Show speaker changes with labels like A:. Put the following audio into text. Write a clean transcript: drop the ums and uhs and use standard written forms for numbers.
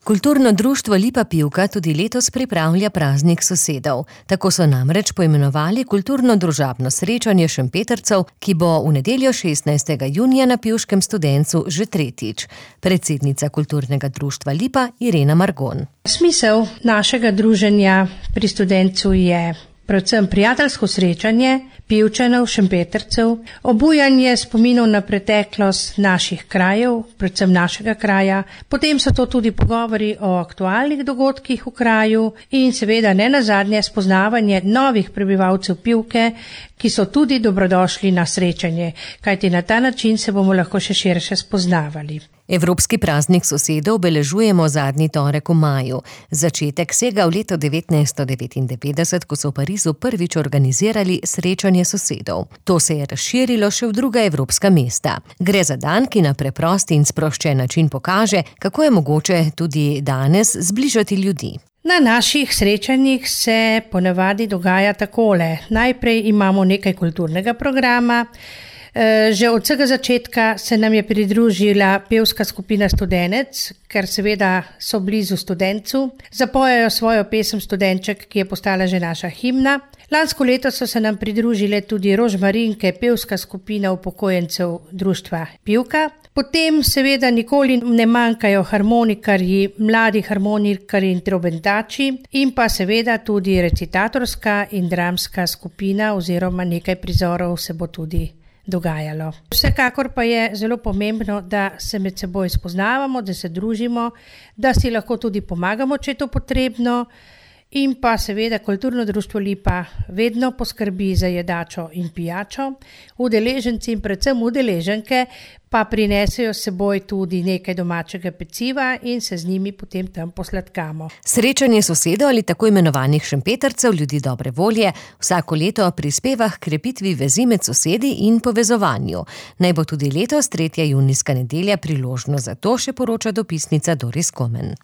A: Kulturno društvo Lipa Pivka tudi letos pripravlja praznik sosedov. Tako so namreč poimenovali kulturno-družabno srečanje Šempetrcev, ki bo v nedeljo 16. junija na Pivškem Studencu že tretjič. Predsednica kulturnega društva Lipa Irena Margon.
B: Smisel našega druženja pri Studencu je predvsem prijateljsko srečanje Pivčanov, Šempetrcev, obujanje spominov na preteklost naših krajev, predvsem našega kraja, potem so to tudi pogovori o aktualnih dogodkih v kraju in seveda nenazadnje spoznavanje novih prebivalcev Pivke, ki so tudi dobrodošli na srečanje, kajti na ta način se bomo lahko še širše spoznavali.
A: Evropski praznik sosedov obeležujemo zadnji torek v maju. Začetek sega v leto 1999, ko so v Parizu prvič organizirali srečanje sosedov. To se je razširilo še v druga evropska mesta. Gre za dan, ki na preprost in sproščen način pokaže, kako je mogoče tudi danes zbližati ljudi.
B: Na naših srečanjih se ponavadi dogaja takole. Najprej imamo nekaj kulturnega programa. Že od vsega začetka se nam je pridružila pevska skupina Studenec, ker seveda so blizu Studencu. Zapojejo svojo pesem Studenček, ki je postala že naša himna. Lansko leto so se nam pridružile tudi Rožmarinke, pevska skupina upokojencev društva Pivka. Potem seveda nikoli ne manjkajo harmonikarji, mladi harmonikarji in trobentači in pa seveda tudi recitatorska in dramska skupina oziroma nekaj prizorov se bo tudi dogajalo. Vsekakor pa je zelo pomembno, da se med seboj spoznavamo, da se družimo, da si lahko tudi pomagamo, če je to potrebno. In pa seveda kulturno društvo Lipa vedno poskrbi za jedačo in pijačo. Udeleženci in predvsem udeleženke pa prinesejo s seboj tudi nekaj domačega peciva in se z njimi potem tam posladkamo.
A: Srečanje sosedov ali tako imenovanih Šempetrcev, ljudi dobre volje, vsako leto prispeva k krepitvi vezi med sosedi in povezovanju. Naj bo tudi letos 3. junijska nedelja priložnost za to, še poroča dopisnica Doris Komen.